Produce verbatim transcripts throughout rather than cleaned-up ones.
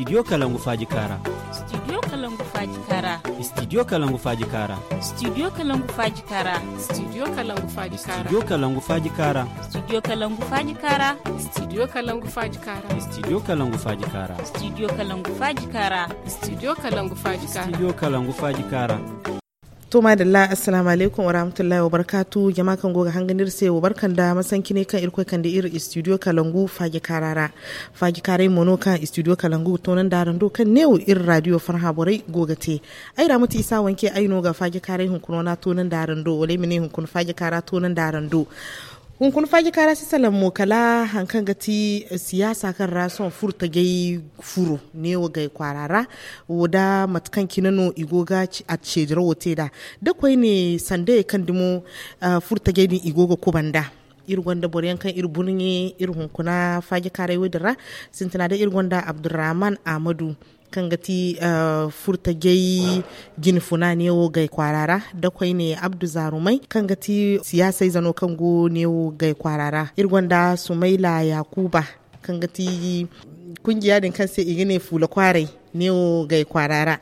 Studio Kalangu Faaji Kaara. Studio Kalangu Faaji Kaara. Studio Kalangu Faaji Kaara. Studio Kalangu Faaji Kaara. Studio Kalangu Faaji Kaara. Studio Kalangu Faaji Kaara. Studio Kalangu Faaji Kaara. Studio Kalangu Faaji Kaara. Studio Kalangu Faaji Kaara. Studio Kalangu Faaji Kaara. Studio Kalangu Faaji Kaara. Studio Kalangu Faaji Kaara. To, madalla, assalamu alaikum wa rahmatullahi wa barakatu. Jama kaŋ go ga hangan iri se, wa barka nda masanci ne kaŋ Irkoy kande iri studio Kalangu Faaji Kaara ra. Faaji Kaaray mo no kaŋ studio Kalangu toonandi araŋ do, kaŋ neewo iri radio Farha borey go ga te. Ay ra mate Isa Wanke, ay no ga Faaji Kaaray hunkuna wana toonandi araŋ do, wala ay ma ne hunkuna Faaji Kaara toonandi araŋ do. Hunkuna Faaji Kaara si salaŋ mo kala haŋ kaŋ ga ti, eh, siyaasa kaŋ ra sohõ furtajey furo neewo gay kwaara ra. Wo da mate kaŋ cine no i go ga a ceedirawo te nd'a. Da koyne sandayey kaŋ dumo, ah, furtajey din i go ga kubanda. Iri gonda boro yaŋ kaŋ iri burɲe iri hunkuna Faaji Kaaray wo-din ra. Sintina day iri gonda Abdurrahman Ahmadu, kaŋ ga ti, ah, furtajey jinfuna neewo gay kwaara ra, da koyne Abdu Zaarumay, kaŋ ga ti siyaasa ize no kaŋ go neewo gay kwaara ra. Iri gonda Sumayla Yakuba, kaŋ ga ti kungiya din kaŋ se i ga ne Fuula Kwaaray neewo gay kwaara ra.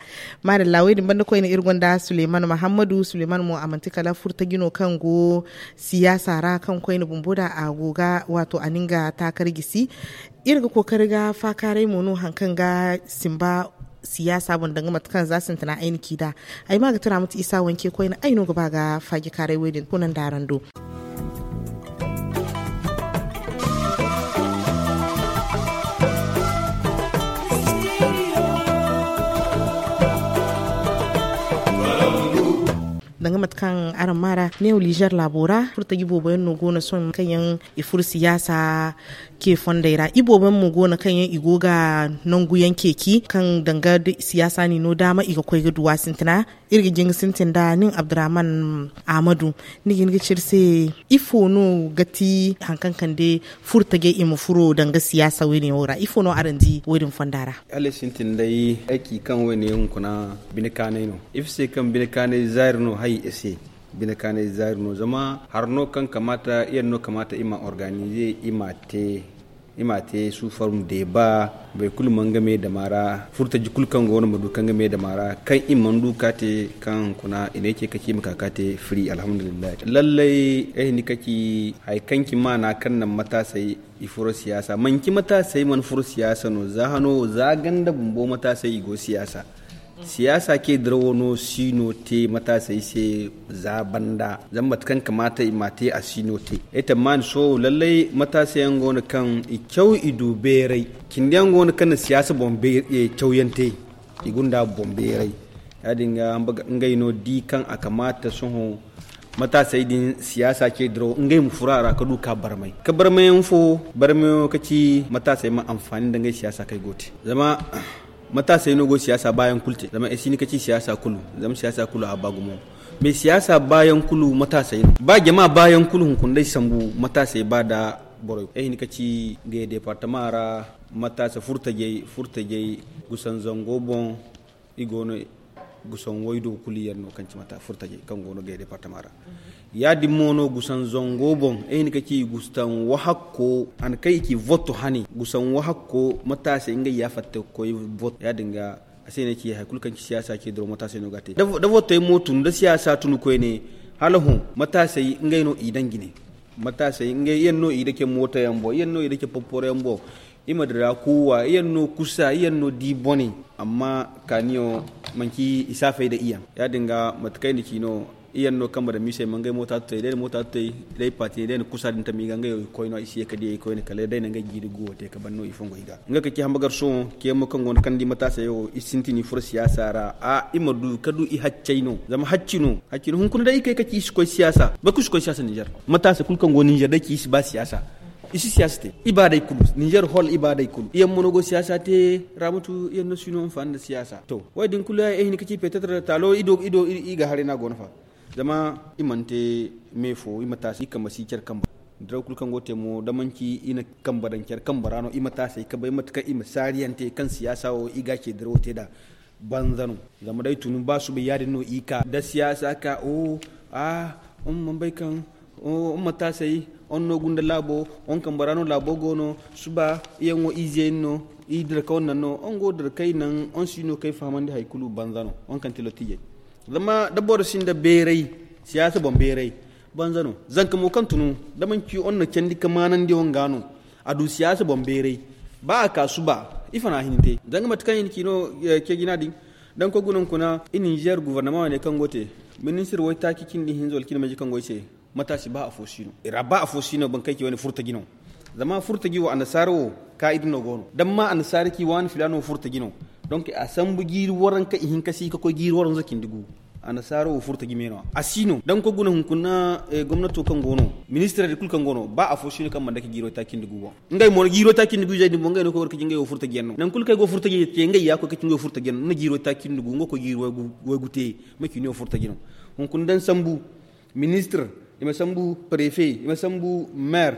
Madalla, wo-din banda koyne iri gonda Suleymanu Mahammadu. Suleymanu mo, a manti kala furtaji no kaŋ go siyaasa ra, kaŋ koyne bumbo da a go ga, waato, a na nga taakar gisi. Iri ga kookari ga faakaaray mo no haŋ kaŋ ga simba siyaasa boŋ, danga mate kaŋ za sintina ay na ci nd'a. Ay ma ga tira mate Isa Wanke koyne, ay no ga ba ga Faaji Kaaray wo-din toonandi araŋ do. Danga mate kaŋ araŋ maa ra, neewo Nizer laabo ra, furtaji boobo yaŋ no go no sohõ kaŋ yaŋ i furo siyaasa ce fondey ra. Iboobo yaŋ mo go no kaŋ yaŋ i go ga nangu yaŋ ceeci, kaŋ danga da siyaasa n'i no daama i ga koy ga du a sintina. Iri ga jin ga sintin nda nin Abdurrahman Ahmadu. Ni ga hin ga ci iri se, ifo no ga ti haŋ kaŋ kande furtajey i ma furo danga siyaasa wo-din yaŋo ra? Ifo no araŋ di wo-din fonda ra? Hala sintin day, ay ci kaŋ wo-ne hunkuna bine kaanay no. Ifo se kaŋ bine kaanay zaari no hay i se? Bine kaanay zaari no, zama hari no kaŋ kamaata, yaŋ no kamaata i ma organize, i ma te, i ma te sous forme débat. Boro kulu ma nga me dama ra, furtaji kulu kaŋ go no ma du kaŋ nga me dama ra, kaŋ i mana du ka te, kaŋ hunkuna i ne ce ka ci i ma ka ka te free, alhamdulillahi. Lallay, ay hin ga ci hari kaŋ ci maana kaŋ naŋ mataasey i furo siyaasa. Manci mataasey mana furo siyaasa no, za hano, za ganda bumbo mataasey i go siyaasa. Siyaasa ce dirawo no si no te mataasey se za banda. Zama mate kaŋ kamaata i ma te, a si no te. Ay tammaani sohõ lallay mataasey yaŋ go no kaŋ i caw i du beeray. Cindi yaŋ go no kaŋ na siyaasa boŋ be-, eh, cawyaŋ te. I gunda boŋ beeray. Ya-din ga ngey no di kaŋ a kamaata sohõ mataasey din siyaasa ce dirawo ngey ma furo a ra ka du ka barmay. Ka barmayaŋ fo, barmayaŋo ka ci mataasey ma anfaani nda ngey siyaasa kaŋ ay go te. Zama mataasey no go siyaasa baayaŋ kulu te. Zama ay si hin ga ci siyaasa kulu, zama siyaasa kulu a ba gumo. Mais siyaasa baayaŋ kulu mataasey no. Ba jama baayaŋ kulu hunkuna day sambu mataasey ba da borey. Ay hin ga ci ngey departama ra mataasa furtajey, furtajey gusan zango boŋ. I go no gusan waydo kulu yaŋ no kaŋ ci mata furtajey kaŋ go no gay departama ra. Ya-din mo no gusan zango boŋ, ay hin ga ci gusan wahakko, han kaŋ i ci voto hane, gusan wahakko mataasey ngey ya fatta ga koy voto. Ya-din ga a se no ay ci hari kulu kaŋ ci siyaasa ce dirawo mataasey no ga te. Da, da votey mo tun, da siyaasa tun koyne, hala hõ mataasey ngey no i daŋ jine. Mataasey ngey yaŋ no i dake mooto yaŋ boŋ, yaŋ no i dake popporo yaŋ boŋ. I ma dira kuuwa, i yaŋ no kusa, i yaŋ no di bone. Amma kaaniyo manci i saafay da i yaŋ. Ya-din ga mate kaŋ ay na ci no, i yaŋ no kambe da miisey ma ngey moota tutay, day na moota tutay, day paati, day na kusa din tami i ga ngey wo i koyno, i si ye ka di i koyne kala day na ngey jiiri guwo te ka ban no i fongo i ga. Nga ka ci hambagar sohõ, ce mo kaŋ go no kaŋ di mataasey wo, i sintin i furo siyaasa ra. A, i ma du ka du i haccey no. Zama hacci no, hacci no. Hunkuna day i kay ka ci i si koy siyaasa. Boro kulu si koy siyaasa Nizer. Mataasa kulu kaŋ go Nizer day ci i si ba siyaasa. I si siyaasa te. Ibaadey kulu. Nizer hol ibaadey kulu. I yaŋ mo no go siyaasa te, Ramatu, i yaŋ no si no anfaani nda siyaasa. To, wo-din kulu ya, ay hin ka ci peut-être taalo i do, i do, i, i ga haray no a go no fa. Zama i mana te me fo, i ma taasi, i kambe si care kambe. Diraw kulu kaŋ go te mo, da manci i na kambe daŋ care kambe ra no, i ma taasey ka bay mate kaŋ i ma saariyaŋ te, kaŋ siyaasa wo, i ga ce dirawo te nd'a. Banza no. Zama day tun ba suba ya-din no i ka. Da siyaasa ka, o, a, um, man bay kaŋ Iri ma taasay, iri no gunda laabo, iri kambe ra no laabo go no. Suba iri yaŋo ize yaŋ no, iri dira ka iri naŋ no. Iri go dira ka iri naŋ, iri si no ka ay fahamandi hari kulu banza no. Iri kaŋ ti lotijey, zama da boro sinda beeray, siyaasa boŋ beeray, banza no. Zanka mo kaŋ tunu, da manci iri na candi ka maanandi iri ga no, a du siyaasa boŋ beeray. Ba a ka suba, ifo no a hin te zanga mate kaŋ i na ci no. Ceejina din, da ni koy guna hunkuna i ninzeer guvarnama wane kaŋ go te, ministir waytaaci cindi hinza wala cindi mayje kaŋ go ay se, mataasi ba afo si no i ra, ba afo si no baŋ kaŋ ay ci wane furtaji no. Zama furtaji wo annasaara wo, kaa'ida no go no da ni ma annasaara ci waani filaana wo furtaji no. Donk a sambu jiiri waranka ihinka si ka koy jiiri waranza cindi gu. Annasaara wo furtaji me no a si no da ni koy guna hunkuna gomnato kaŋ go no, ministirey din kulu kaŋ go no ba afo si no kaŋ mana dake jiiro taaci nda gu boŋ. Ngey mo jiiro taaci nda gu izey din boŋ ngey no koy ga war ka ci ngey wo furtaji yaŋ no. Nangu kulu kaŋ ay go furtaji te ngey ya koy ka ci ngey wo furtaji yaŋ no ni na jiiro taaci nda gu nga koy jiiro way gu te. Manci ni wo furtaji no. Hunkuna da ni sambu ministir, i ma sambu prefe, i ma sambu meer,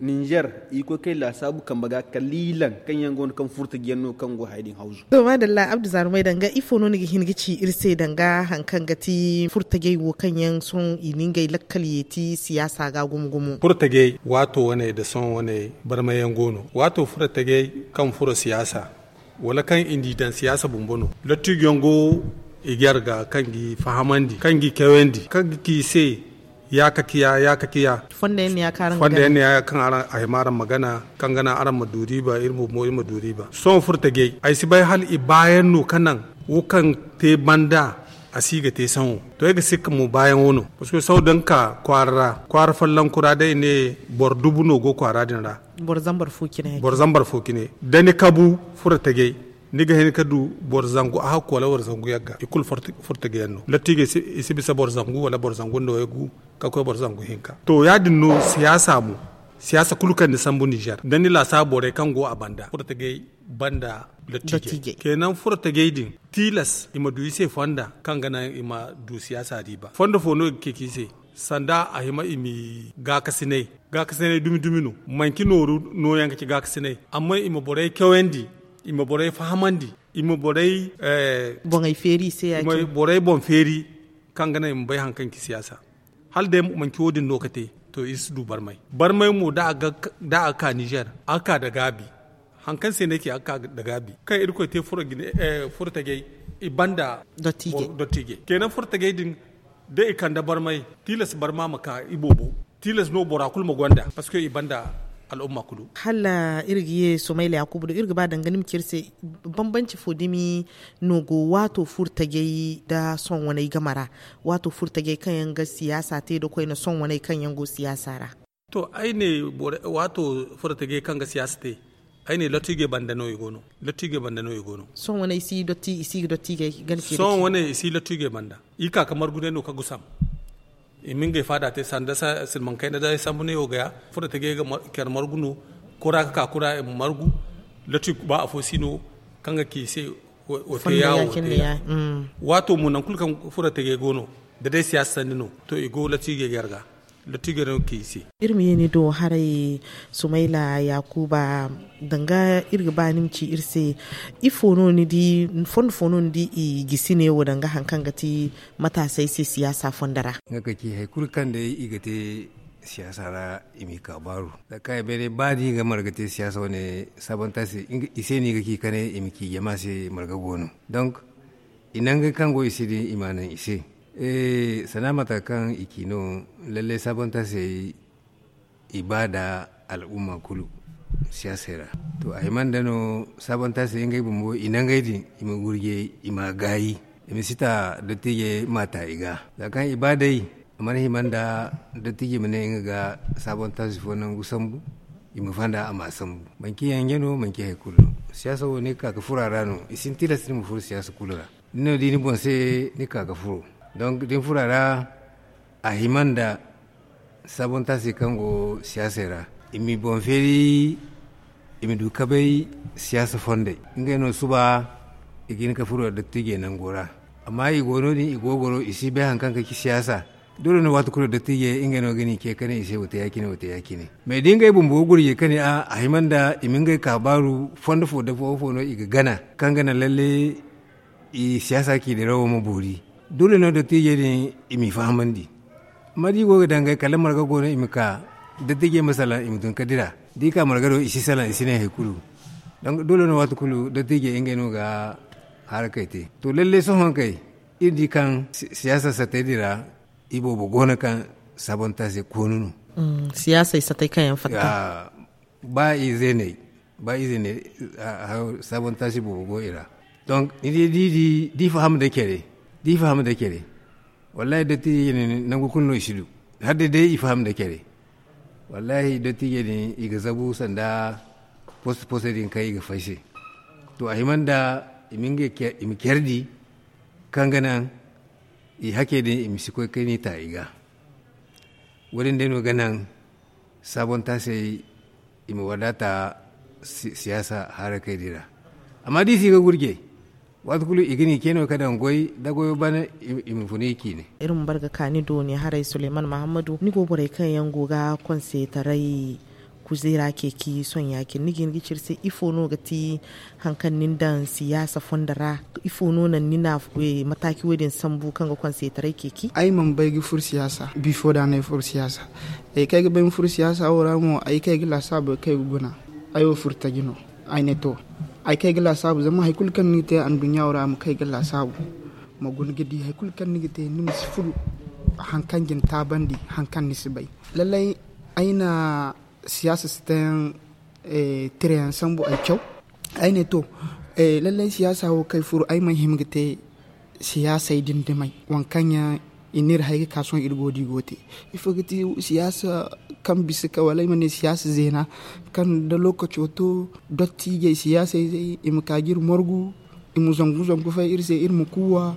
ninzeer, i ga koy kay laasaabu kambe ga kaliilaŋ kaŋ yaŋ go no kaŋ furtaji yaŋ no kaŋ go haya din hawzu. To maadalla abdu zaarumay danga ifo no ni ga hin ga ci iri se danga hari kaŋ ga ti furtajey wo kaŋ yaŋ sohõ i na ngey lakkal yeeti siyaasa ga gumo gumo? Furtajey waato wane nda sohõ wane barmay yaŋ go no. Waato furtajey kaŋ furo siyaasa wala kaŋ i n'i daŋ siyaasa bumbo no. Lottijo yaŋ go i ga yar ga kaŋ g'i fahamandi kaŋ g'i kewandi kaŋ ga ci i se, ya ka ciya ya ka ciya. Fondo yaŋ ne ya kaŋ araŋ ga gana a hima araŋ ma gana kaŋ gana araŋ ma du riiba iri bumbo iri ma du riiba. Sohõ furtajey ay si bay hala i baayaŋ no ka naŋ wo kaŋ te banda a si ga te sohõ. To ay ga sikka mo baayaŋo no parceque sohõ da ni ka kwaara ra kwaara folloŋ kura day i ne boro dubu no go kwaara din ra. Boro zambar fo cine da ni kabu furo tajay ni ga hin ka du boro zangu a hakku wala boro zangu yagga i kulu furo tajay yaŋ no latti ga i si bisa boro zangu wala boro zangu nda waygu ka koy boro zangu hinka to ya- din no siyaasa mo. Siyaasa kulu kaŋ ni sambu nizer da ni laasaabu borey kaŋ go a banda furo tajay banda latti jay kenan furo tajay din tilas i ma du i se fonda kaŋ ga naŋ i ma du siyaasa riiba fondo fo no i ga ceeci i se. Sanda a hima i ma i gaakasinay gaakasinay dumi dumi no manci nooru nooyaŋ ga ci gaakasinay amma i ma borey cawandi i ma borey fahamandi i ma borey boŋey feeri i se ya- cine borey boŋ feeri kaŋ ga naŋ i ma bay hari kaŋ ci siyaasa. Hala day manci wo- din no ga te to iri si du barmay barmay mo da a ga ka nizer a ga ka nda gaabi. Hari kaŋ se no ay ci a ga ka nda gaabi kaŋ irkoy te furo tajay i banda dottijey kenan furo tajay din da i kande barmay tilas barma ma ka i boobo tilas no bora kulu ma gonda parceque i banda al'umma kulu. Hala iri ga ye sumayla yaakubu do iri ga ba danga ni ma ci iri se bambanci fo dumi no go waato furo tajay nda sohõ waney game ra waato furo tajay kaŋ yaŋ ga siyaasa te nda koyne sohõ waney kaŋ yaŋ go siyaasa ra? To ay ne waato furo tajay kaŋ ga siyaasa te ay ne lottiijey banda no i go no. Lottiijey banda no i go no. Sohõ wane i si ga dotti i ga dotti gay gana ce sohõ wane i si lottiijey banda i ka ga margu day no ka gusam. I ma ngey faada te sanda silmaŋ kayna day sambu ne wo gaya furo tajay ga care margu no kura ga ka kura i ma margu. Lottiijey ba afo si no kaŋ ga ci i se wo te yaawo wo te yaawo. Waato mo nangu kulu kaŋ furo tajay go no da day siyaasa sanni no to i go lottiijey ga yar ga. Lottiijey no ga ci i se. Iri ma ye ni do haray sumayla yaakuba danga iri ga ba ni ma ci iri se ifo no ni di fondo fo no ni di i gisi ne wo danga hari kaŋ ga ti mataasey se siyaasa fondo ra? Nga ka ci hari kulu kaŋ day i ga te siyaasa ra i m'i ka baaru. Za kaŋ ay bay day ba da i ga marga te siyaasa wane sabanta se i se no i ga ci kane i ma ci jama se marga go no. Donk i nangey kaŋ go i se din i m'a naŋ i se. Sanda mate kaŋ i ci no lallay sabanta se i ba nda al'umma kulu siyaasey ra. To a hima nda no sabanta se ngey bumbo i nangey din i ma gurjey i m'a gaayi. I ma si ta dottiijey m'a ta i ga za kaŋ i ba day a mana hima nda dottiijey ma ne nga ga sabanta se fo nangu sambu. I ma fanda a m'a sambu manci yanje no manci hari kulu no. Siyaasa wo ni ga ka ga furo a ra no i si ni tilas ni ma furo siyaasa kulu ra. Ni no di ni boŋ se ni ka ga furo donk da ni furo a ra a hima nda sabonta se kaŋ go siyaasey ra i m'i boŋ feeri. I ma du ka bay siyaasa fondey ngey no suba i ga hin ka furo dottiijey nango ra. Amma i go no- din i go ga goro i si bay hari kaŋ ka ci siyaasa. Doole no waati kulu dottiijey ngey no ga ni ce ka ne i se wa te ya- cine wa te ya- cine. Mais da ngey bumbo ga gurjey ka ne a a hima nda i ma ngey ka baaru fondo fo da fo fo no i ga gana kaŋ ga naŋ lalle i siyaasa ciidirawo ma boori. Doole no dottiijey din i m'i fahamandi. Amma da i go ga dangay kala marga go no i ma ka, dattiijey ma salaŋ i ma tun ka dira. Da i ka marga do i si salaŋ i si ne hari kulu. Donk doole no waati kulu dattiijey ngey no ga harakey te. To lalle sohõ kay, iri di kaŋ siyaasa satey din ra, iboobo go no kaŋ saabonta se koonu no. Siyaasey satey kaŋ yaŋ fatta. Ba i zeeney ba i zeeney. Saabonta se boobo go i ra. Donk ni di da i faham nda care da i faham nda care. Wallaahi dottiijey din nangu kulu no i si du. Hala day day i faham nda care. Wallaahi dottiijey din i ga zabu sanda post post din kaŋ i ga fay se. To a hima nda i ma care di kaŋ ga naŋ i hake din i ma si koy kayni ta i ga. Wo- din day no ga naŋ saabontaasey i ma wadaata siyaasa harakey din ra. Amma da i si ga gurje waati kulu i ga ni ce no ka daŋ goy da goyo ban. I ma funu i ciine. Iri ma bar ga kaani dooni haray suleyman mahammadu ni go borey kaŋ yaŋ go ga konseetaray kuzeera ceeci sohõ ya-cine ni ga hin ga ci iri se ifo no ga ti? Hari kaŋ ni na daŋ siyaasa fondo ra ifo no naŋ ni na mataaci wo- din sambu kaŋ ga konseetaray ceeci? Ay mana bay ga furo siyaasa bifo da no ay furo siyaasa. Ay kaŋ ay ga bay ma furo siyaasa wo ra mo ay kaŋ ay ga laasaabu kaŋ ay ga guna. Ay wo furo taji no. Ay ne to ay kaŋ ay ga laasaabu zama hari kulu kaŋ ni ga te anduɲɲa wo ra ma kaŋ ay ga laasaabu. Ma guna ga di hari kulu kaŋ ni ga te ni ma si furo hari kaŋ ga ni taabandi hari kaŋ ni si bay. Lallay ay na siyaasa si te yaŋ tira yaŋ sambu ay caw. Ay ne to lallay siyaasa wo kaŋ ay furo ay mana hima ga te siyaasey din dumey waŋ kaŋ yaŋ i n'iri hay ga ka sohõ iri go da i go te. Ifo ga ti siyaasa kaŋ bisa ka wala ay ma ne siyaasa zeena kaŋ da lookaco to dottiijey siyaasa izey i ma ka ga iri margu i ma zangu zangu fay iri se iri ma kuuwa.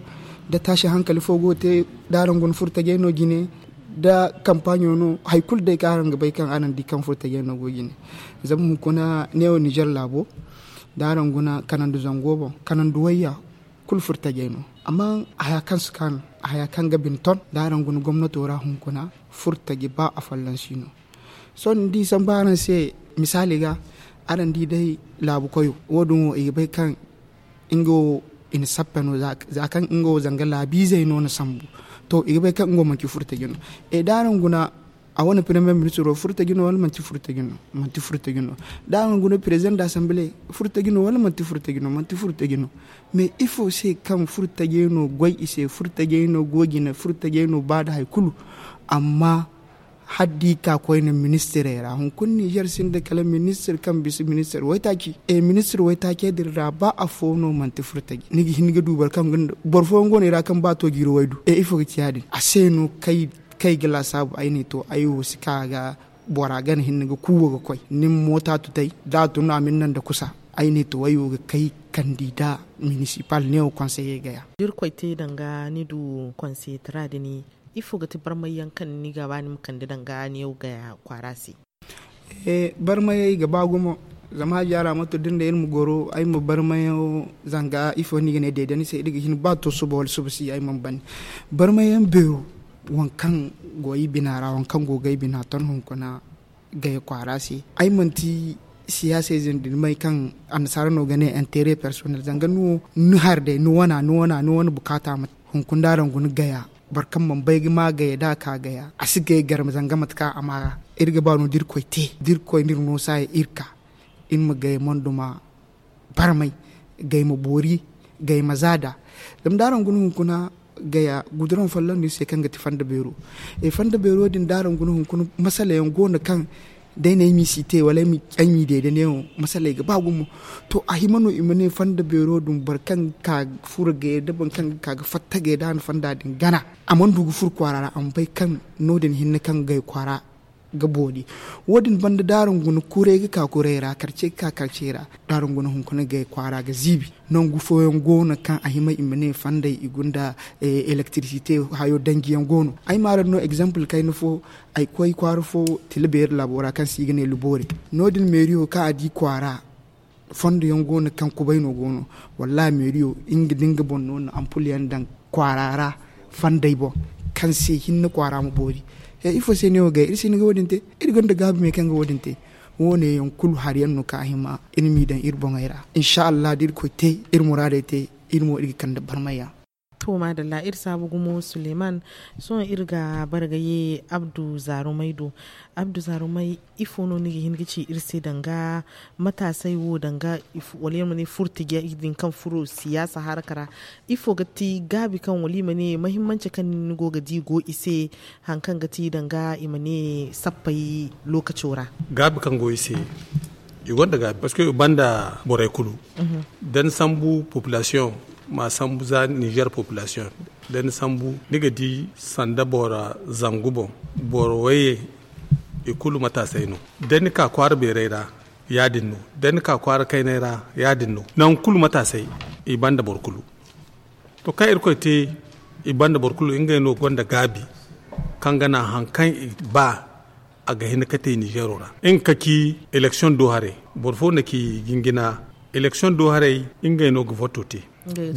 Da taasi hankali fo go ga te da araŋ guna furo tajey no jine da kampaaɲo no hari kulu day kaŋ araŋ ga bay kaŋ araŋ di kaŋ furo tajey no go jine. Zama hunkuna neewo nizer laabo da araŋ guna kanandi zango boŋ kanandi wayya kulu furo tajey no. Amma haya kaŋ si ka no haya kaŋ ga bine ton da araŋ guna gomnato ra hunkuna furo taji ba afolloŋ si no. Sohõ ni di sambu araŋ se misaali ga araŋ di day laabu koyo wo- din wo i ga bay kaŋ nga wo i na sappe no za kaŋ nga wo zanga laabiizey no na sambu. To i ga bay kaŋ nga wo manti furo taji no. E da araŋ guna a wane premier ministiro furo taji no wala manti furo taji no? Manti furo taji no. Da araŋ guna president da assemblee furo taji no wala manti furo taji no? Manti furo taji no. Mais ifo se kaŋ furo tajey no goy i se furo tajey no go jine furo tajey no ba nda hari kulu. Amma hala da i ka koyne ministirey ra hunkuna nizer sinda kala ministir kaŋ bisa ministir waytaaci e ministir waytaacey din ra ba afo no manti furo taji ni ga hin ga du boro kaŋ ga boro fooyaŋ go no i ra kaŋ ba to jiiri waydu e ifo ga ci ya- din a se no kaŋ ay ga laasaabu ay ne to ay wo si ka ga bora gana hinne ga kuuwa ga koy ni ma moota tutay da a tun no a ma ni naŋ nda kusa. Ay ne to ay wo ga kay kandida minisipal neewo konseyey gaya. Da irkoy te danga ni du konseetara din ifo ga ti barmay yaŋ kaŋ ni ga ba ni ma kande danga neewo gaya kwaara se? Barmayey ga ba gumo. Zama hajji araamato da ni ne iri ma goro ay ma barmayaŋo zanga ifo no i ga ne deede ni se iri ga hin ba to suba wala suba si ay mana bane. Barmayaŋ beero waŋ kaŋ go ay bina ra waŋ kaŋ go ga ay bina ton hunkuna gaya kwaara se ay manti siyaasey zindi ni may kaŋ annasaara no ga ne intere personnel zanga ni wo ni hari day ni wana ni wana ni wane bukaata ma hunkuna da araŋ guna gaya boro kaŋ mana bay ga ma gaya da a ka gaya a si gaya garma zanga mate kaŋ a ma ra. Iri ga ba no da irkoy te da irkoy no iri no saaya iri ka iri ma gaya monduma barmay gay ma boori gay ma zaada. Zama da araŋ guna hunkuna gaya guduraŋ folloŋ no iri se kaŋ ga ti fanda beero. Fanda beero din da araŋ guna hunkuna masala yaŋ go no kaŋ day no ay m'i si te wala ay m'i deede neewo masaley ga ba gumo. To a hima no i ma ne fanda beero din boro kaŋ ga ka ga furo gaya da boro kaŋ ga ka ga fatta gaya da a na fanda din gana a mana du ga furo kwaara ra a ma bay kaŋ no- din hinne kaŋ ga gay kwaara ga boori. Wo- din banda da araŋ guna kuray ga ka kuray ra karce ga ka karce ra da araŋ guna hunkuna gay kwaara ga ziibi. Nangu fooyaŋ go no kaŋ a hima i ma ne fandey i gunda elektirisite hayo danji yaŋ go no ay ma araŋ no egzample kayna fo. Ay koy kwaara fo tila beeri laabo ra kaŋ se i ga ne luboore no- din meeriyo kaŋ a di kwaara fondo yaŋ go no kaŋ kubay no go no. Wallahi meeriyo nga da nga boŋ no na ampul yaŋ daŋ kwaara ra fandey boŋ kaŋ se hinne kwaara ma boori. He ifo se no ay wo gay iri si hin ga wo- din te? Iri gonda gaabi me kaŋ ga wo- din te. Wo- ne yaŋ kulu hari yaŋ no kaŋ a hima iri m'i daŋ iri boŋey ra insa allah da irkoy te iri muraadey te iri mo iri ga kande barmay yaŋ. To maadalla, iri saabu gumo suleman. Sohõ iri ga bara ga ye abdu zaarumay do. Abdu zaarumay, ifo no ni ga hin ga ci iri se danga mataasay wo danga wala iri ma ne furtijey din kaŋ furo siyaasa haraka ra? Ifo ga ti gaabi kaŋ wala i ma ne mahimmanci kaŋ ni go ga di go i se, hari kaŋ ga ti danga i ma ne sappey lookaco ra? Gaabi kaŋ go i se, i gonda gaabi parceque i banda borey kulu. Da ni sambu population ma sambu za nizer population, da ni sambu ni ga di sanda boro zangu boŋ, boro wayye, i kulu mataasay no. Da ni ka kwaara beerey ra, ya- din no. Da ni ka kwaara kaynay ra, ya- din no. Nangu kulu mataasay, i banda boro kulu. To kaŋ irkoy te, i banda boro kulu ngey no gonda gaabi kaŋ ga naŋ hari kaŋ i ba a ga hin ga te nizero ra. Nga ka ci election do haray, boro fo na ci jingina. Election do haray, ngey no ga voto te.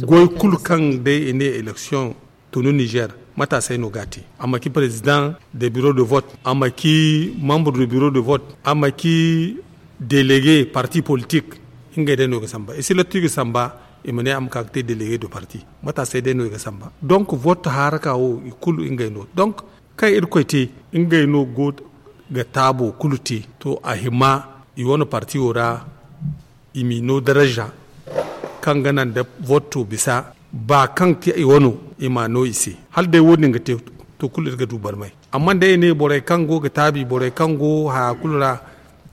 Goy kulu kaŋ day i ne election tunu nizer, mataasay no ga a te. A ma ci président de bureau de vote, a ma ci membre de bureau de vote, a ma ci délégué parti politique. Ngey day no ga samba, i si lottu i ga samba, i ma ne a ma ka ga te délégué de parti. Mataasay day no i ga samba. Donc vote haraka wo i kulu ngey no. Donc kaŋ irkoy te, ngey no go ga taabo kulu te. To a hima i wane parti wo ra, i m'i no daraza kaŋ ga naŋ da voto bisa ba kaŋ te i wano, i m'a no i se. Hala day wo- din ga te, to kulu iri ga du barmay. Amma day i ne borey kaŋ go ga taabi, borey kaŋ go haya kulu ra,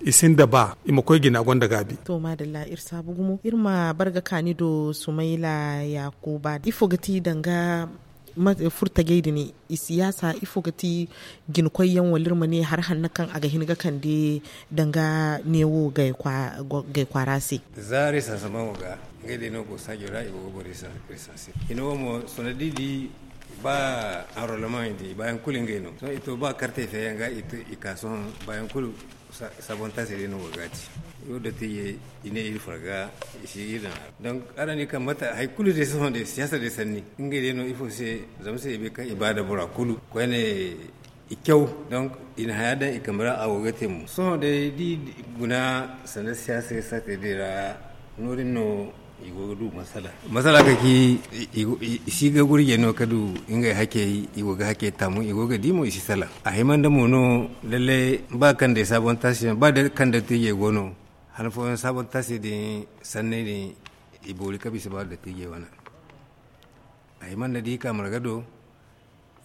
i sinda ba i ma koy jina gonda gaabi. To maadalla, iri saabu gumo iri ma bar ga kaani do sumayla yaakuba, ifo ga ti danga furtajey din i siyaasa? Ifo ga ti jinkoyyaŋ wala iri ma ne hari hanno kaŋ a ga hin ga kande danga neewo gay kwaara se? Za resansaman wo ga ngey day no go saajo ra i go ga boro resanse. Hina wo mo sohõ da i di ba anrolemaŋ i di i baayaŋ kulu ngey no sohõ i to ba kartey feeyaŋ ga i ka sohõ baayaŋ kulu. Sabontaasey day no go ga a ci. Wo dottijey i ne iri farga i si iri daŋ a ra. Donc araŋ di kaŋ mate hari kulu day sohõ day siyaasa day sanni ngey day no ifo se? Zama se i bay kaŋ i ba da bora kulu koyne i caw. Donc i na haya daŋ i kambe ra a go ga te mo sohõ day da i guna sanda siyaasa sarte day ra. No- din no i go ga du masala. Masala kaŋ ci i si ga gurjey no ka du ngey hakey i go ga hakey taamu i go ga di mo i si salaŋ. A hima nda mo no lallay ba kaŋ day sabontaasiyaŋ ba day kaŋ day tiijey go no. Han fooyaŋ sabontaasiyaŋ din sanney din i boori ka bisa ba da tiijey wane. A hima nda da i ka marga do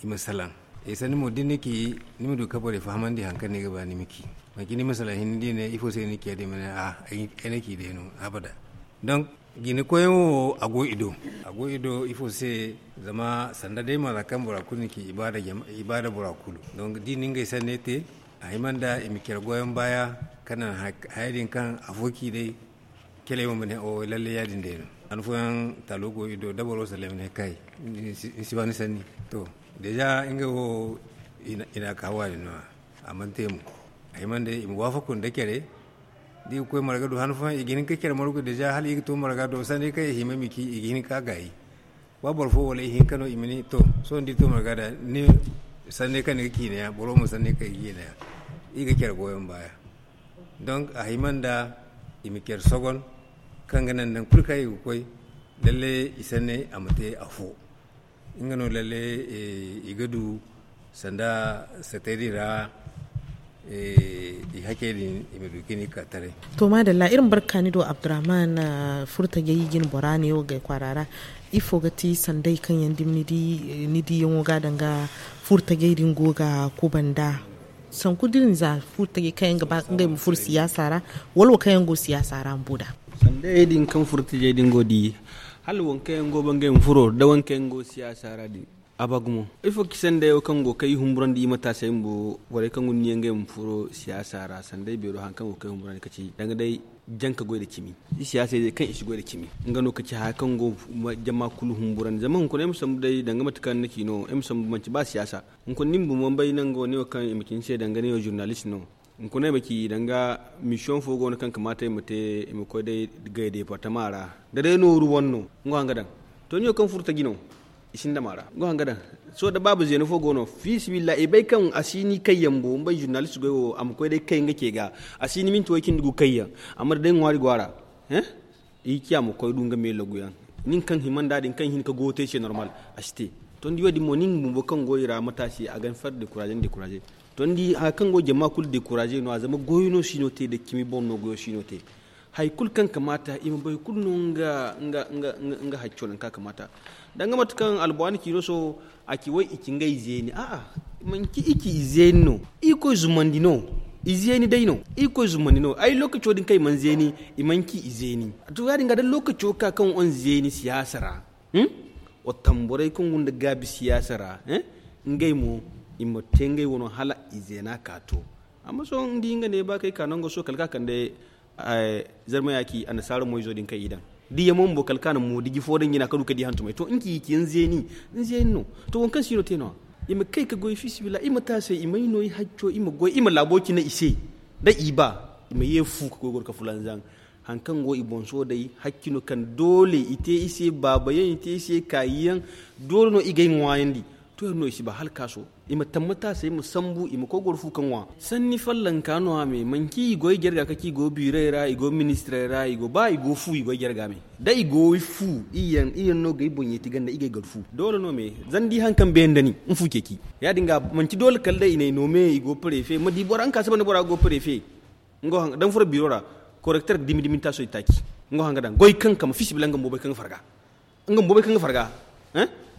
i ma salaŋ. Ay sanni mo da ni ci ni ma du ka borey fahamandi hari kaŋ ni ga ba ni ma ci. Manci ni ma salaŋ hinne da i ne ifo se ni ciya din ma ne a ay na ci day no. Abada. Donk jina koyyaŋo wo a go i do. A go i do ifo se? Zama sanda day mara kaŋ bora kulu ni ci i ba da bora kulu. Donk da i na ngey sanney te a hima nda i ma care goyaŋ baaya kaŋ naŋ haya din kaŋ afo ci day. Kele wo ma ne o lalle ya- din day no. Han fooyaŋ taalo go i do da boro sallay ma ne kay ni si ba ni sanni. To deeza ngey wo i na a ka hawa din no. A mana te mo. A hima nda i ma waafaku nda care da i ga koy marga do han fooyaŋ i ga hin ka care margu deeza hala i ga to marga do sanni kaŋ i hima i ma ci i ga hin ka gaayi. Ba boro fo wala ihinka no i ma ne to sohõ da i to marga da ni sanne kaŋ ni ga ciine yaŋ boro mo sanne kaŋ i ga ciine yaŋ. I ga care goyo ma baaya. Donk a hima nda i ma care sogon kaŋ ga naŋ nangu kulu kaŋ i ga koy. Lalle i sanne a ma te afo. Nga no lalle i ga du sanda satedi ra. I hakey din i ma du ga ni ka taray. To maadalla iri ma barka ni do abdurrahman. Furtajey jine bora ne wo gay kwaara ra ifo ga ti sanday kaŋ yaŋ dumi ni diyaŋo ga danga furtajey din go ga kubanda? Sanku da iri na za furtajey kaŋ yaŋ ga ba ngey ma furo siyaasa ra wala wo kaŋ yaŋ go siyaasa ra ma bu da? Sandayey din kaŋ furtajey din go di hala waŋ kaŋ yaŋ go ba ngey ma furo da waŋ kaŋ yaŋ go siyaasa ra din. A ba gumo ifo ga ci sanday wo kaŋ go kay humburandi i mataasey bumbo borey kaŋ guna niyaŋ ga ay ma furo siyaasa ra sanday beero hari kaŋ go kay humburandi ka ci danga day janka goy da cimi. I siyaasey day kaŋ i si goy da cimi nga no ka ci haya kaŋ go jama kulu humburandi zama hunkuna ay ma sambu day danga mate kaŋ ni ci no ay ma sambu manci ba siyaasa. Hunkuna ni ma bumbo bay nango ne wo kaŋ i ma ci ni se danga ne wo zurnalist no. Hunkuna ay ma ci danga misiyoŋ fo go no kaŋ kamaata ay ma te ay ma koy day gay departama ra da day nooru wane no. Nga wo haŋ ga daŋ to ni wo kaŋ furo taji no. I sinda maara nga haŋ ga daŋ. Sohõ da baaba zeena fo go no fiisabilillahi i bay kaŋ a si ni kayyaŋ bo ni bay zurnalist goy wo a ma koy day kay nga ce ga. A si ni minti way cindi gu kayyaŋ. Amma da day ŋwaari go a ra. I ga ci a ma koy du nga me lagu yaŋ. Nin kaŋ hima nda din kaŋ hin ka goyo te i se normal, a si te. To ni di wo- din mo nin bumbo kaŋ go i ra mate a se a ga ni farre dekuraze ni dekuraze. To ni di haya kaŋ go jama kulu dekuraze no- ya zama goyo no si no te da cimi boŋ no goyo si no te. Hari kulu kaŋ kamaata i ma bay kulu no nga hacco nangu kaŋ a kamaata. Danga mate kaŋ albuwaani ciino sohõ a ci way i ci ngey zeeni a'a. Manci i ci i zeeni no. Irkoy zumandi no. I zeeni day no. Irkoy zumandi no ay lookaco din kaŋ i mana zeeni. I mana ci i zeeni. To ya- din ga da lookaco ka kaŋ wane zeeni siyaasa ra. Wa tamborey kaŋ gunda gaabi siyaasa ra. Ngey mo i ma te ngey wano hala i zeena ka to. Amma sohõ ni di nga ne ba kay ka nango sohõ kala ka kande zarma yaaki annasaara moyzo din kaŋ i daŋ. Da i yamo bumbo kala ka na moodiji fo daŋ jina ka du ka di hantumey to nga ci i ci ni zeeni. Ni zeeni no. To waŋ kaŋ si no te no- ya i ma kay ka goy fiisabilillahi i ma taasay i ma ay no i hacco i ma goy i ma laabo cine i se. Da i ba i ma ye fu ka koy goro ka fulanzaŋ. Hari kaŋ go i boŋ sohõ day hakki no kaŋ doole i te i se baabayaŋ i te i se kaayiyaŋ. Doole no i ga ay ŋwaayandi. To yaŋ no i si ba hala kaaso. I ma tammata se i ma sambu i ma koy goro fu ka ŋwa. Sanni fallanka no- ya me manci i go i jarga ka ci i go biirey ra i go ministirey ra i go ba i go fu i go i jarga me. Da i go i fu i yaŋ no ga ay boŋ yeeti ganda i ga ay gar fu doole no me. Zama da i hari kaŋ beeri nda ni ni fu ceeci. Ya- din ga manci doole kala day i na ay no me i go pareefe ma di bora nga ka saba nda bora ga go pareefe. Da ni furo biiro ra korekter ga dimi dimi ni taaso i taaci. Nga hanga daŋ goy kaŋ kama fiisabilillahi nga bumbo bay kaŋ ga farga. Nga bumbo bay kaŋ ga farga.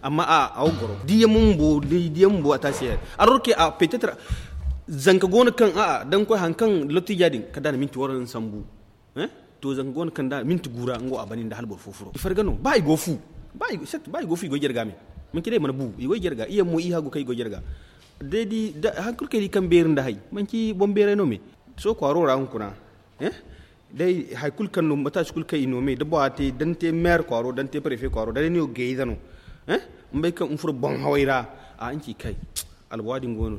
Amma a wo ga goro diya mumbo a taasi yaŋ. Arorke a petetre zanka go no kaŋ a'a da ni koy hari kaŋ lottija din kala da a na minti waranza sambu. To zanka go no kaŋ da minti gu ra nga wo a bane nda hala boro fo furo i farga no ba i go fu. Ba i go fu i go jarga me. Manci day i mana bu i go jarga i yaŋ mo i haagu kaŋ i go jarga. Day di hari kulu kaŋ i di kaŋ beeri nda hay manci boŋ beeray no me. Sohõ kwaaro ra hunkuna. Day hari kulu kaŋ no mataasi kulu kaŋ i no me da bora te da ni te meer kwaaro da ni te pareefe kwaaro da day ni wo gayza no. Ni bay kaŋ ni furo boŋ haway ra. A ni ci kay albuwa din go no.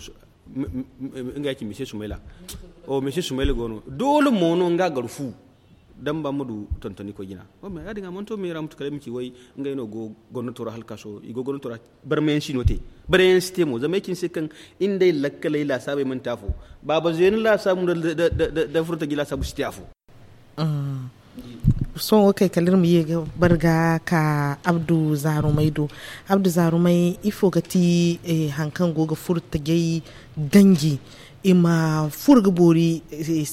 Nga ya ci mise sumayla. Mise sumayla go no doole mo no nga gar fu. Damba ma du tonton ni koy jina. Ya- din a mana to me ra ma tu kala ay ma ci way ngey no go gomnato ra hala kaaso i go gomnato ra. Barmayaŋ si no te. Barmayaŋ si te mo zama ay ci ni se kaŋ iri nda ay lakkaley laasaabey mana te afo. Baaba zeena laasaabu nda furo taji laasaabu si te afo. Sohõ wo kay kala iri ma ye ga bar ga ka abdu zaarumay do. Abdu zaarumay ifo ga ti hari kaŋ go ga furo tajay ganji i ma furo ga boori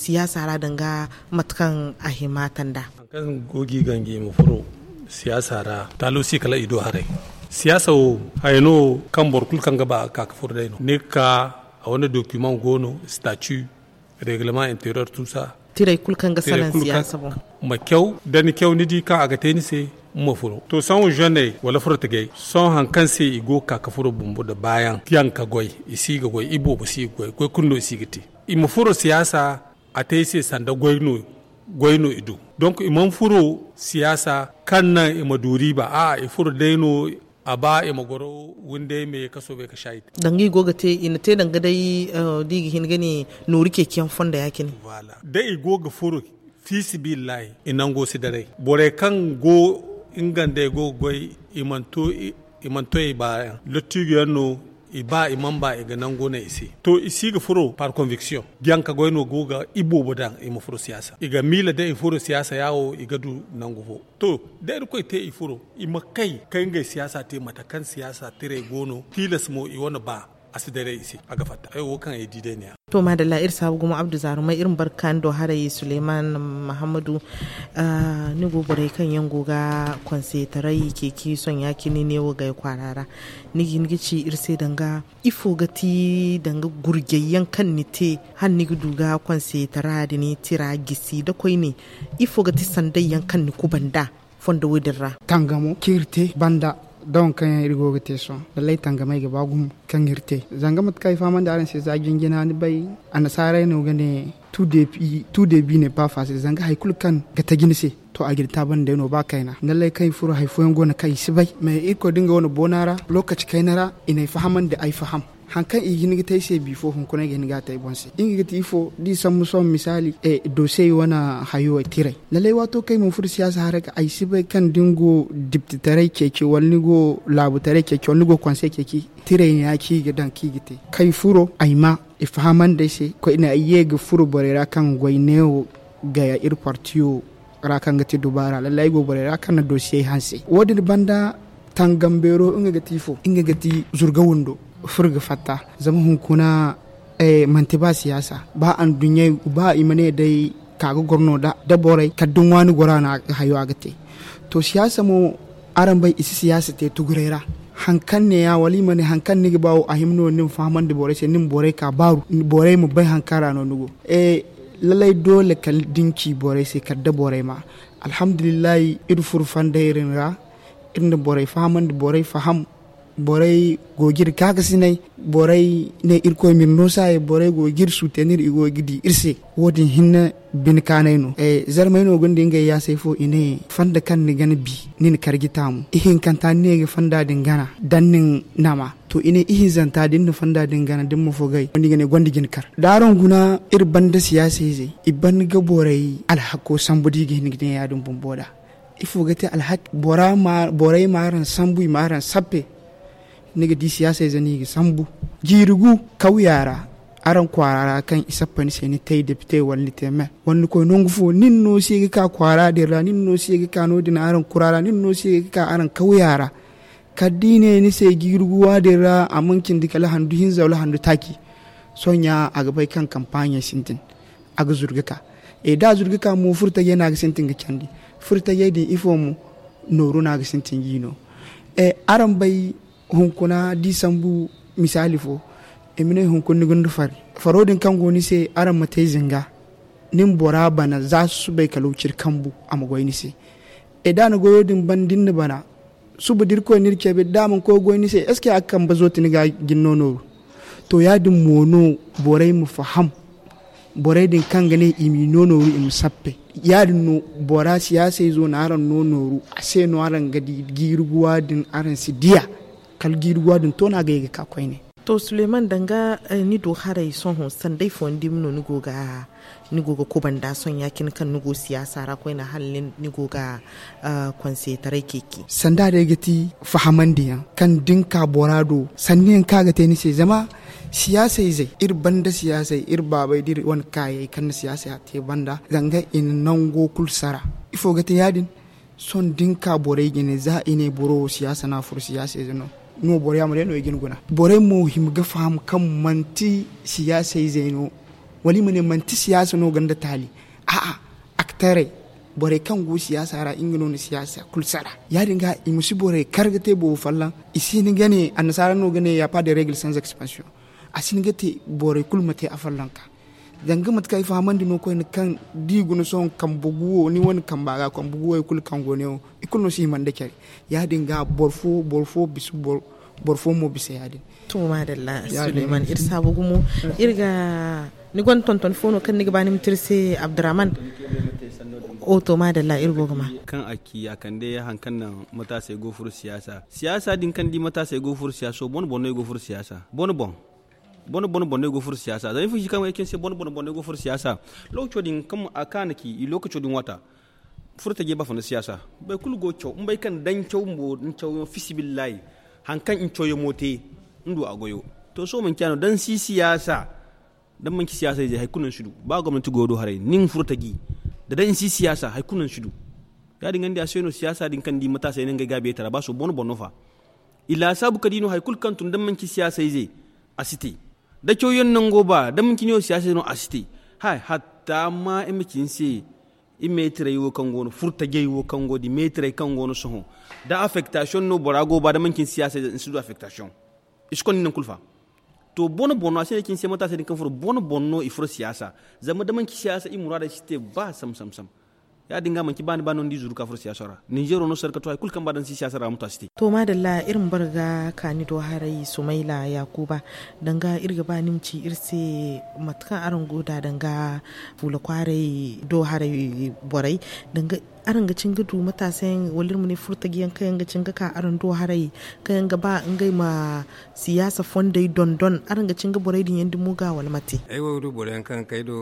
siyaasa ra danga mate kaŋ a hima tanda. Hari kaŋ go ga i ganji i ma furo siyaasa ra taalo si kala i do haray. Siyaasa wo haya no kaŋ boro kulu kaŋ ga ba a ka ga furo day no ni ga ka a wane document go no statut reglement interieur tout ça. Tirey kulu kaŋ ga salaŋ siyaasa boŋ. Ma caw da ni caw ni di kaŋ a ga te ni se ma furo to sohõ zone wala furo tagay sohõ hari kaŋ se i go ga ka ga furo bumbo nda baayaŋ yaŋ ka goy. I si ga goy i boobo si ga goy goy kulu no i si ga te. I ma furo siyaasa a te i se sanda goy no i du. Donk i mana furo siyaasa kaŋ naŋ i ma du riiba a'a i furo day no. A ba i ma goro windey me kaso bay ka saayi te. Danga i go ga te i na te danga day da i ga hin ga ne nooru ceeciyaŋ fondo ya- cine. Da i go ga furo fiisabilillahi i nango si daray borey kaŋ go nga nda ay go ga goy i mana to i baayaŋ lottiijo yaŋ no. I ba i mana ba i ga nango naŋ i se to i si ga furo par conviction. Janka goy no go ga i boobo daŋ i ma furo siyaasa i ga miila da i furo siyaasa ya wo i ga du nangu fo. To da irkoy te i furo i ma kay ka ngey siyaasa te mate kaŋ siyaasa tirey go no tilas mo i wane ba a si daray i se a ga fatta ay wo kaŋ ay di day ne ya. To maadalla iri saabu gumo abdu zaarumay iri ma bar ga kaani do haray suleyman mahammadu. Ni go borey kaŋ yaŋ go ga konseytaray ceeci sohõ ya- cine neewo gay kwaara ra ni ga hin ga ci iri se danga ifo ga ti danga gurjay yaŋ kaŋ ni te hala ni ga du ga konseytara da ni tira gisi da koyne? Ifo ga ti sanday yaŋ kaŋ ni kuba nd'a fondo wo- din ra? Tangamo kaŋ iri te banda da waŋ kaŋ yaŋ iri go ga te sohõ lallay tangamey ga ba gumo kaŋ iri te zanga mate kaŋ ay fahamandi araŋ se za jinjina ni bay annasaarey no ga ne. Tout début n'est pas facile zanga hari kulu kaŋ ga taji ni se to a ga ni taabandi day no ba kayna lallay kaŋ ay furo hari fooyaŋ go no kaŋ i si bay mais irkoy da nga wane boona ra lookaci kayna ra i n'ay fahamandi ay faham. Hari kaŋ i ga hin ga te ay se bifo hunkuna ay ga hin ga a te ay boŋ se nga ga ti ifo da i sambu sohõ misaali doosiyey wane hayo tiray lallay waato kaŋ ay mana furo siyaasa haray ga ay si bay kaŋ da ni go diptitaray ceeci wala ni go laabutaray ceeci wala ni go konsey ceeci tiray no ya kaŋ i ga daŋ kaŋ i ga te kaŋ ay furo ay ma i fahamandi ay se koyne ay ye ga furo borey ra kaŋ goy neewo gaya iri partiyo ra kaŋ ga ti dubaara lallai ay go borey ra kaŋ na dosiyey hanse wo- din banda. Tangam beero nga ga ti ifo nga ga ti zurga windo furo ga fatta. Zama hunkuna manti ba siyaasa ba anduɲɲey ba i ma ne day ka ga goro no da borey kala da ŋwaani gora no hayo a ga te. To siyaasa mo araŋ bay i si siyaasa te tuguray ra. Hari kaŋ ne ya wala i ma ne hari kaŋ ni ga ba wo a hima no ni ma fahamandi borey se ni ma borey ka baaru borey ma bay hari kaŋ ra no ni go. Lallai doole kala da ni ci borey se kala da borey ma alhamdulillahi iri furo fandey din ra. Iri na borey fahamandi borey faham. Borey go ga iri kaakasinay. Borey ne irkoy ma iri no saayey borey go ga iri suutenir i go ga di iri se. Wo- din hinne bine kaanay no. Zarmey no gonda ngey yaasay fo i ne fanda kaŋ ni gana bi ni na karji taamu ihinkanta ni ne ga fanda din gana da ni na ni nama. To i ne ihinzanta da ni na fanda din gana da ni ma fo gay ni ga ne gonda jina kar da araŋ guna iri banda siyaasa izey i ban ga borey alhako sambu da i ga hin ga ne ya- din bumbo da. Ifo ga te alhak borey ma araŋ sambu i ma araŋ sappe. Ni ga di siyaasa ize no i ga sambu jiiri gu kawya ra. Araŋ kwaara ra kaŋ i sappa ni se ni te depite wala ni te me wala ni koy nangu fo nin no se ga ka kwaara din ra nin no se ga ka no- din araŋ kura ra nin no se ga ka araŋ kawya ra. Kala da i ne ni se jiiri gu wa- din ra a mana cindi kala handu hinza wala handu taaci. Sohõ ɲa a ga bay kaŋ kampaaɲey sintin a ga zuru ga ka. Da a zuru ga ka mo furo tajey no a ga sintin ga candi. Furo tajey din ifo mo nooru no a ga sintin ga i no. Araŋ bay hunkuna da i sambu misaali fo. I ma ne hunkuna ni gonda fari faro din kaŋ go ni se araŋ ma te zinga. Ni ma bora bana za susubay kala wuciri kambu a ma goy ni se. Da a na goyo din ban da ni na bana suba da irkoy na iri cabe da a mana koy ga goy ni se est ce que a ga kambe zooti ni ga jina no nooru? To ya- din mo no borey ma faham. Borey din kaŋ ga ne i m'i no nooru i ma sappe. Ya- din no bora siyaasa izo no araŋ no nooru a se no araŋ ga di jiiri guwa din araŋ si di a. Kala jiiri guwa din to no a ga ye ga ka koyne. To suleyman danga ni do haray sohõ sanday fooyaŋ dumi no ni go ga kubanda sohõ ya- cine kaŋ ni go siyaasa ra koyne hala ni go ga konseetaray ceeci. Sanda day ga ti fahamandiyaŋ kaŋ da ni ka bora do sanniyaŋ kaŋ a ga te ni se zama siyaasa izey iri banda siyaasay iri baabay da iri wane kaayey kaŋ na siyaasa te banda zanga i na nango kulu sara. Ifo ga te ya- din? Sohõ da ni ka borey jine za i ne boro wo siyaasa no a furo siyaasa ize no. No boro yaamar yaŋ no i ga ni guna. Borey mo hima ga faham kaŋ manti siyaasa izey no. Wala i ma ne manti siyaasa no gonda taali. A'a, aktarey borey kaŋ go siyaasa ra nga no na siyaasa kulu sara. Ya- din ga i ma si borey kar ga te boobo folloŋ. I si hin ga ne annasaara no ga ne ya pa de regle sans expansion. A si hin ga te borey kulu ma te afollonka. Zanga mate kaŋ ay fahamandi no koyne kaŋ da i guna sohõ kambe gu wo ni wane kamba ga kambe gu wo i kulu kaŋ go ne wo i kulu no si hima nda care. Ya- din ga boro fo boro fo bisa boro fo mo bisa ya- din. To maadalla suleyman iri saabu gumo. Iri ga ni gonda tonton fo no kaŋ ni ga ba ni ma te iri se abdurrahman? O to maadalla iri go ga ma. Kaŋ a ci a kande hari kaŋ naŋ mataasey go furo siyaasa siyaasa din kaŋ di mataasey go furo siyaasa wo bone bone no i go furo siyaasa bone boŋ. Bone bone bone no i go furo siyaasa zama ifo ci kaŋ ay ci ni se bone bone bone no i go furo siyaasa. Lookaco din kaŋ a kaana ci i lookaco din waata furo tajey ba fonda siyaasa. Boro kulu go ga caw ni bay kaŋ da ni caw bumbo ni cawyaŋo fisibillahi. Hari kaŋ ni cawyaŋo te ni du a goyo. To sohõ manci ya- no da ni si siyaasa da ni manci siyaasa ize hari kulu no ni si du. Ba gomnanti goyo do haray nin furo taji da day ni si siyaasa hari kulu no ni si du. Ya- din ga ni di a se no siyaasa din kaŋ ni di mataasey no ngey gaabi yay tara ba sohõ bone bone no fa. I laasaabu ka di no hari kulu kaŋ tun da ni manci siyaasa ize a si te. Da cawyaŋ nango ba da manci ni wo siyaasa ize no a si te. Hay hatta ma i ma ci ni se i meetirey wo kaŋ go no furo tajey wo kaŋ go da i meetirey kaŋ go no sohõ da affektasiyoŋ no bora go ba da manci ni siyaasa ize ni si du affektasiyoŋ. I si konda ni naŋ kulu fa. To bone bone no a si ne ci ni se mataasey din kaŋ furo bone bone no i furo siyaasa. Zama da manci siyaasa i muraadey si te ba sam sam sam. Ya- din ga manci ba ni ba no ni di zuru ka furo siyaasa ra ninzeero no sarka to hari kulu kaŋ ba da ni si siyaasa ra ma to a si te. To maadalla iri ma bare ga ka ni do haray sumayla yaakuba. Danga iri ga ba ni ma ci iri se mate kaŋ araŋ go nd'a danga fuula kwaaray do haray borey. Danga araŋ ga cin ga du mataasa yaŋ wala iri ma ne furo taji yaŋ kaŋ yaŋ ga cin ga ka araŋ do haray kaŋ yaŋ ga ba ngey ma siyaasa fondey dondon araŋ ga cin ga borey din yaŋ dumi ga wala mate? Ay wo ga du boro yaŋ kaŋ ga kay do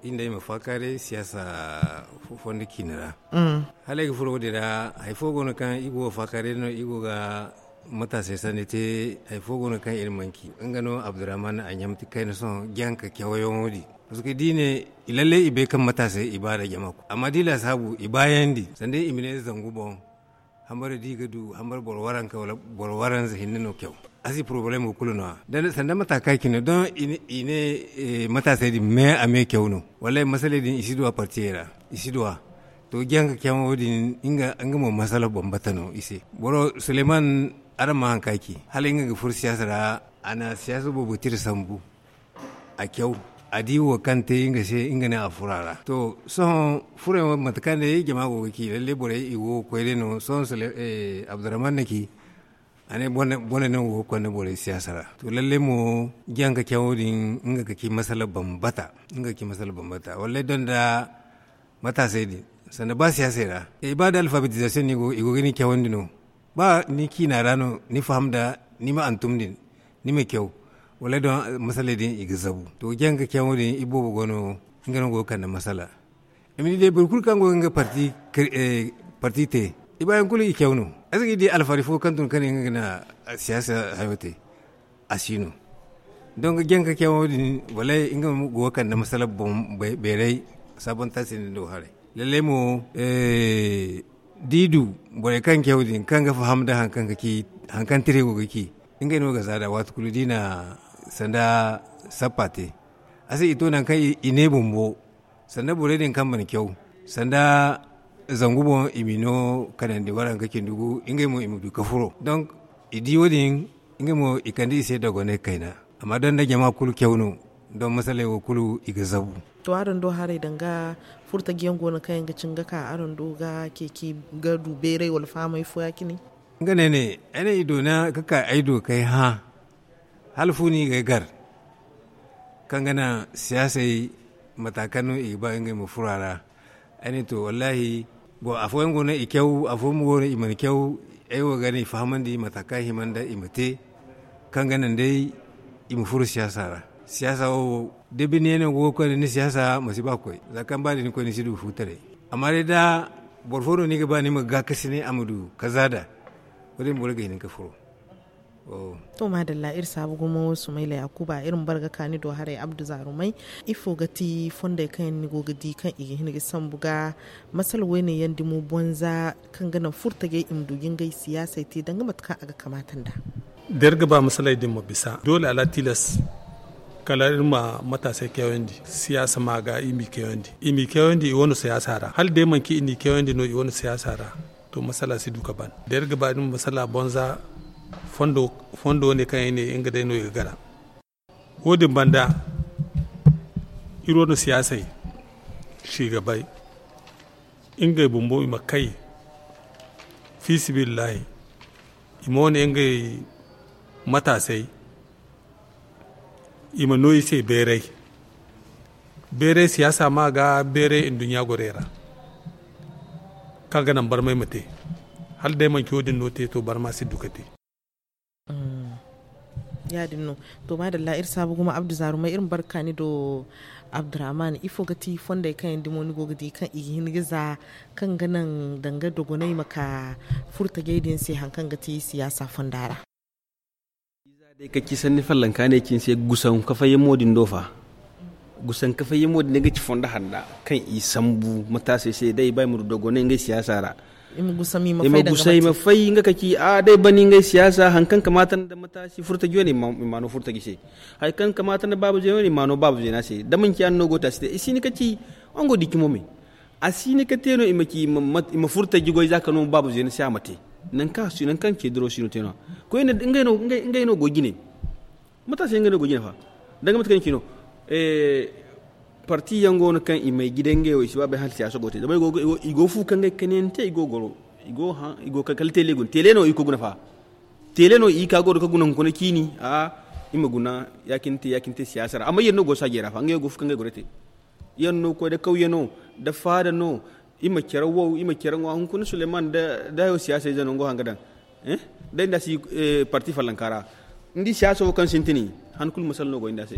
iri nda ay ma faakaaray siyaasa fondo ciine ra. Hala ay ga furo wo- din ra hari fo go no kaŋ i go ga faakaaray no i go ga mataasey sanni te. Hari fo go no kaŋ iri mana ci nga no abdurrahman a ɲamti kayna sohõ janka cawyaŋo din. Parce que da i ne, lalle i bay kaŋ mataasey i ba nda jama kulu, amma da i laasaabu i baayandi sanda i ma ne zangu boŋ. Hambare da i ga du hambare boro waranka wala boro waranza hinne no kyaw. A si porobalemo kulu no- ya sanda mata kaŋ a ci no don i ne mataasey din me a me kyaw no. Wallaahi masaley din i si du a partiyey ra. I si du a to janka kyaŋo din nga mo masala bambata no i se. Boro suleman, araŋ ma haŋ kaŋ a ci hala nga ga furo siyaasa ra. A na siyaasa boobo tira sambu a kyaw. A di wo kaŋ te nga se nga ne a furo a ra to sohõ furey wo mate kaŋ day jama go ga ci lalle borey i go ga koy day no sohõ abdurrahman na ci. A ne bone no go ga konda borey siyaasa ra to lalle mo janka cawo din nga ga ci masala bambata. Nga ga ci masala bambata wallay donda mataasey din sanda ba siyaasey ra i ba da alfabetizasiyoŋ no i go ga ni cawandi no. Ba ni ciina ra no ni faham nda ni ma hantum din ni ma caw. Wallay don masaley din i ga zabu to janka cawo din i boobo go no. Nga no go ga kande masala. I ma di day boro kulu kaŋ go ga nga parti te i baayaŋ kulu i caw no. Ay si ga i di alfari fo kaŋ tun kaŋ i ga na siyaasa hayo te. A si no. Donk janka cawo din wallay nga go ga kande masala boŋ beeray. Sabonta se ni do haray lallay mo da i du borey kaŋ caw din kaŋ ga faham nda hari kaŋ tira i go ga ci. Ngey no ga zaada waati kulu da i na sanda sappa te. A se i to nangu kaŋ i ne bumbo sanda borey din kaŋ mana caw sanda zangu boŋ i ma i no kanandi waranka cindi gu ngey mo i ma du ka furo donk i di wo- din. Ngey mo i kande i se dogonay kayna. Amma donda jama kulu caw no. Don masaley wo kulu i ga zabu. To araŋ do haray danga furtajiyaŋ go no kaŋ yaŋ ga cin ga ka araŋ do ga ceeci ga du beeray wala fahamay fo ya- cine. Nga ne ne ay ne i doona ga ka ay do kay hã. Hala fu no i ga ay gar kaŋ ga naŋ siyaasey mata kaŋ no i ga ba ngey ma furo a ra. Ay ne to wallaahi afooyaŋ go no i caw afooyaŋ mo go no i mana caw. Ay wo ga ne i fahamandi mata kaŋ hima nda i ma te kaŋ ga naŋ day i ma furo siyaasa ra. Siyaasa wo da bine yaŋ no go ga koy nda ni siyaasa ma si ba ga koy za kaŋ ba da ni koy ni si du fuutaray. Amma day da boro fo no ni ga ba ni ma gaakasi ne a ma du kaza da wo- din boro ga hin ga furo. To maadalla iri saabu gumo sumayla yaakuba iri ma bare ga ka ni do haray abdu zaarumay. Ifo ga ti fondey kaŋ yaŋ ni go ga di kaŋ i ga hin ga sambu ga masala woyne yaŋ dimo bonza kaŋ ga naŋ furtajey i ma du ga ngey siyaasey te danga mate kaŋ a ga kamaata nd'a? Da iri ga ba masaley din ma bisa doole ala tilas kala iri ma mataasey kayandi siyaasa ma ga i m'i kayandi i wane siyaasa ra hala day manci i n'i kayandi no i wane siyaasa ra. To masala si du ga ban da iri ga ba iri ma masala bonza fondo ne kaŋ yaŋ ne nga day no i ga gara. Wo- din banda iri wane siyaasey si ga bay ngey bumbo i ma kay fiisabilillahi i ma wane ngey mataasey i ma no i se beeray. Beeray siyaasa ma ga beeray nduɲɲa gorey ra kaŋ ga naŋ barmay ma te. Hala day manci wo- din no te to barma si du ga te. Ya- din no. To maadalla iri saabu gumo abdu zaarumay iri ma bare ga ka ni do. Abdurrahman ifo ga ti fondey kaŋ yaŋ dimo ni go ga di kaŋ i ga hin ga za kaŋ ga naŋ danga dogonay ma ka furtajey din se hari kaŋ ga ti siyaasa fonda ra? Day ka ci sanni fallanka ne cine se gusaŋ kafayyaŋ mo din do fa. Gusaŋ kafayyaŋ mo din day ga ci fondo handa kaŋ i sambu mataasey se day i ba i ma du dogonay ngey siyaasa ra. I ma gusaŋ i ma fay nga ka ci a day bani ngey siyaasa hari kaŋ kamaata nda mataasi furtaji wane i ma no furtaji se. Hari kaŋ kamaata nda baaba zeena wane i ma no baaba zeena se da manci yaŋ no go te a si te i si hin ga ci. Wango di cimo me a si hin ga te no i ma furtaji goy za ka no baaba zeena se a ma te. Nangu kaŋ ce duro si no te no- ya koyne ngey no go jine. Mataasi yaŋ ngey no go jine fa danga mate kaŋ ci no. Parti yaŋ go no kaŋ i may jiday ngey wo i si ba bay hala siyaasa go te zama i go fu kaŋ ngey kanante i go goro. I go kala tele guna tele no i ko guna fa. Tele no i ka goro ka guna hunkuna ciini a i ma guna ya- cine te siyaasa ra amma yeri no go saajey ra fa ngey wo go fu kaŋ ngey goro te. Yeri no koy da kawye no da faada no. I ma care wow i ma care ŋwa hunkuna suleman da hayo siyaasa ize no ngo haŋ ga daŋ. Day nda si parti fallanka ra. Ni di siyaasa wo kaŋ sintin han kulu masala no go inda se.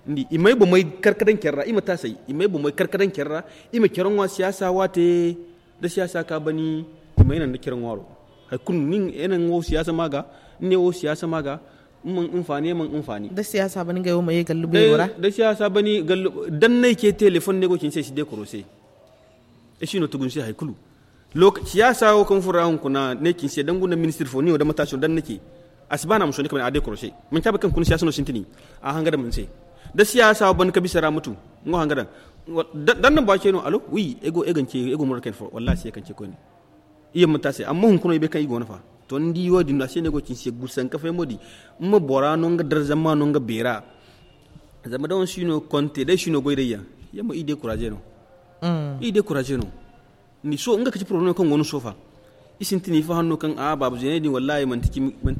Ni di i may bomey kar ga daŋ care ra i ma taasay i may bomey kar ga daŋ care ra. I ma care ŋwa siyaasa waate da siyaasa ka bani. I may naŋ da care ŋwaaro hari kulu ni ne wo siyaasa ma ga. Ni ne wo siyaasa ma ga. Iri man hinfaani iri man hinfaani. Da siyaasa bani gay wo ma ye gallu beero ra. Da siyaasa bani gallu, dannay ce teleefon ne go cine se ay si deekoro se. Ay si no tugu ni se hari kulu. Siyaasa wo kaŋ furo ra hunkuna ne cine se dangu nda ministir fo ni wo da mataasi no danna ce. A si ba no a ma sooni ka bana a deekoro se. Manci a bay kaŋ kuna siyaasa no sintini. A hanga daŋ ni se. Da siyaasa wo bani ka bisa ra ma tu. Nga wo hanga daŋ. Danna baace no alo wi ay go ay ga ni ce ay go mura kayna fo wallaahi a si ye kaŋ ce koyne. I yamma ta se amma hunkuna i bay kaŋ i go no fa. To ni di wo- din no a se no ay go cine se gusanka fay mo di. Ni ma bora no nga darza ma no nga beera. Zama da wane si no konte day si no goy day yaŋ. Yamma i deekuraze no. I deekuraze no. Ni so nga kaci poroblem kaŋ go no sofa. I sintin i fahan no kaŋ a baaba zeeney din wallaahi manti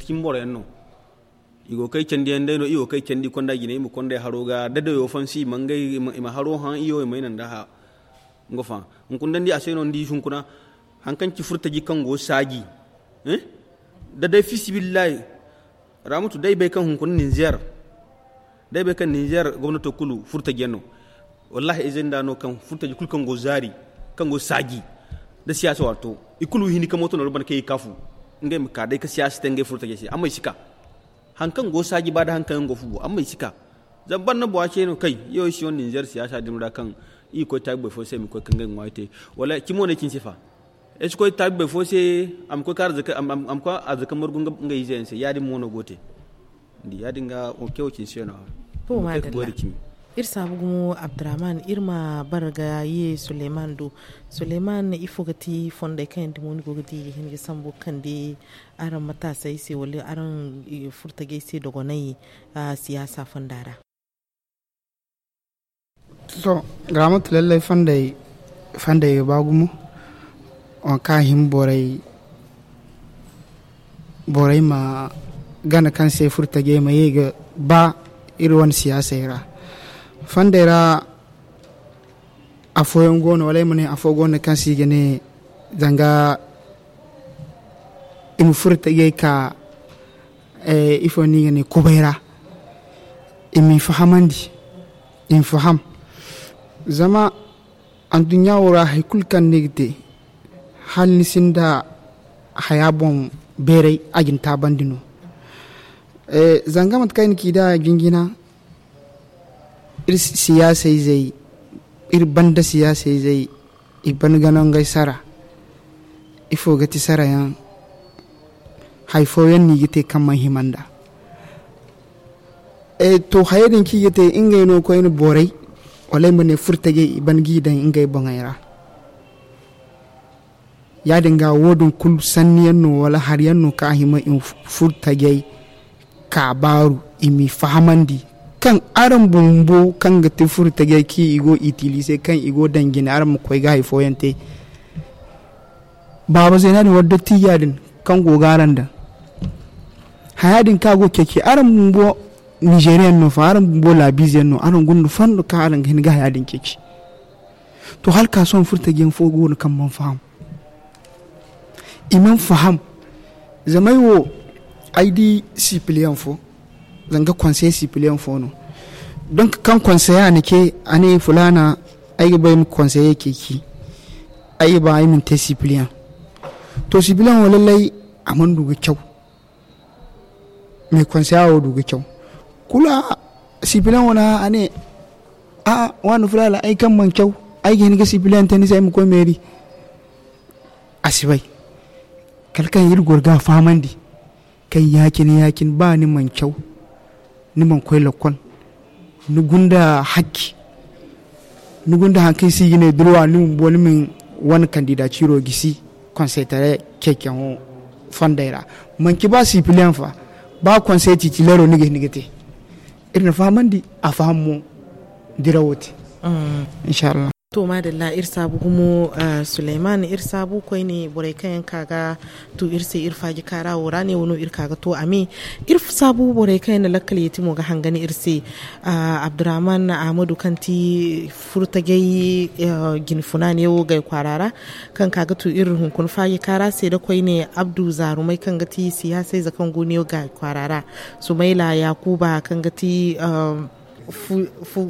cimi boro yaŋ no. I go kay candi yaŋ day no i go kay candi konda jine i ma konday haro ga da dayo fansi i ma ngey i ma haro haŋ iyo i ma ay naŋ da ha. Nga fa hunkuna day ni di a se no ni di hunkuna. Haŋ kaŋ ci furtaji kaŋ go saaji. Da day fiisabilillahi. Ramutu day bay kaŋ hunkuna ninzeer. Day bay kaŋ ninzeer gomnato kulu furtaji yaŋ no. Wallaahi ay zanda no kaŋ furtaji kulu kaŋ go zaari kaŋ go saaji. Da siyaasa waato i kulu hini ka mooto no banda kaŋ i kaafu. Ngey ma ka day ka siyaasa te ngey furo tajey se amma i si ka. Haŋ kaŋ go saaji ba da haŋ kaŋ yaŋ go fu bo amma i si ka. Zama banda bora ce no kay. Yaw ay si wane ninzeer siyaasa din ra kaŋ i ga koy taabi boro fo se i ma koy ka ngey ŋwaayo te. Wala cimo no ay ci ni se fa. Ay si koy taabi boro fo se. A ma koy ka arzaka margu ngey ize yaŋ se ya- din mo no go te. Ni di ya- din ga wo ke wo cine se no. Iri saabu gumo abdurrahman iri ma bara ga ye suleyman do. Suleyman ifo ga ti fondey kaŋ yaŋ dimo ni go ga di i ga hin ga sambu ga kande araŋ mataasey se wala araŋ furtajey se dogonay siyaasa fonda ra? To, ga mate lallay fondey ga ba gumo. Waŋ kaŋ a hima borey borey ma gana kaŋ se furtajey ma ye ga ba iri wane siyaasey ra. Fondey ra afooyaŋ go no wala ay ma ne afo go no kaŋ se i ga ne zanga i ma furo tajey ka ifo no i ga ne kubay ra. I m'i fahamandi i ma faham. Zama anduɲɲa wo ra hari kulu kaŋ ni ga te hala ni sinda haya boŋ beeray a ga ni taabandi no. Zanga mate kaŋ ay na ci nd'a jinjina iri siyaasa izey iri banda siyaasa izey i ban gana ngey sara. Ifo ga ti sara yaŋ hari fooyaŋ no i ga te kaŋ mana hima nd'a. To hayey din kaŋ i ga te ngey no koyne borey wala ay ma ne furtajey i ban g'i daŋ ngey boŋey ra. Ya- din ga wo- din kulu sanni yaŋ no wala hari yaŋ no kaŋ a hima i ma furtajey ka baaru i m'i fahamandi kaŋ araŋ bumbo kaŋ ga ti furtajey kaŋ i go itilize kaŋ i go daŋ jine araŋ ma koy ga hari fooyaŋ te. Baaba zeena din wala dottiija din kaŋ go ga araŋ daŋ haya din kaŋ a go ga ceeci araŋ bumbo nizeeriyaŋ no fa araŋ bumbo laabiize yaŋ no araŋ guna fondo kaŋ araŋ ga hin ga haya din ceeci. To hala ka sohõ furtajiyaŋ fo go no kaŋ mana faham. I mana faham. Zama ay wo ay di sipiliyaŋ fo zanga konseye sipiliyaŋ fo no. Donk kaŋ konseye a na ce a ne fulaana ay ga ba ay ma konseye ceeci. Ay ga ba ay ma ni te sipiliyaŋ. To sipiliyaŋ wo lallay a mana du ga caw. Mais konseye wo du ga caw kulu. Sipiliyaŋ wo na a ne a waani fulaana ay kaŋ mana caw ay ga hin ga sipiliyaŋ te ni se ay ma koy meeri. A si bay kala kaŋ iri goro ga a fahamandi kaŋ ya- cine ya- cine ba ni mana caw ni mana koy lakkol ni gunda hakki. Ni gunda hari kaŋ i si ga ne durwa ni bumbo ni ma wane kandida ciiro gisi konsey taray ceeciyaŋo fondey ra. Manci ba sipiliyaŋ fa ba konsey titileero ni ga hin ga te. Iri na fahamandi a faham mo dirawo te. Inshallah. To maadalla iri saabu gumo suleyman iri saabu koyne borey kaŋ yaŋ ka ga tu iri se iri faaji kaara wo ra ne wano iri ka ga to a me. Iri saabu borey kaŋ yaŋ na lakkal yeeti mo ga hangan iri se. Abdurrahman ahmadu kaŋ ti furtajey jinfuna ne wo gay kwaara ra kaŋ ka ga tu iri hunkuna faaji kaara se da koyne abdu zaarumay kaŋ ga ti siyaasayze kaŋ go ne wo gay kwaara ra. Sumayla yakuba kaŋ ga ti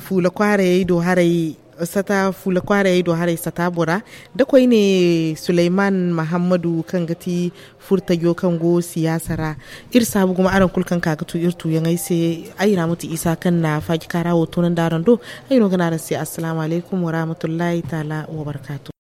fuula kwaarayey do haray. Sata fuula kwaaray ay do haray sata bora da koyne suleyman mahammadu kaŋ ga ti furtajo kaŋ go siyaasa ra. Iri saabu gumo araŋ kulu kaŋ ka ga tu iri tuuyaŋey se. Ay ra ma ti isa kaŋ na faaji kaara wo toonandi araŋ do. Ay no ga ne araŋ se assalaamu alaykum wa rahmatullahi taala wa barkaatu.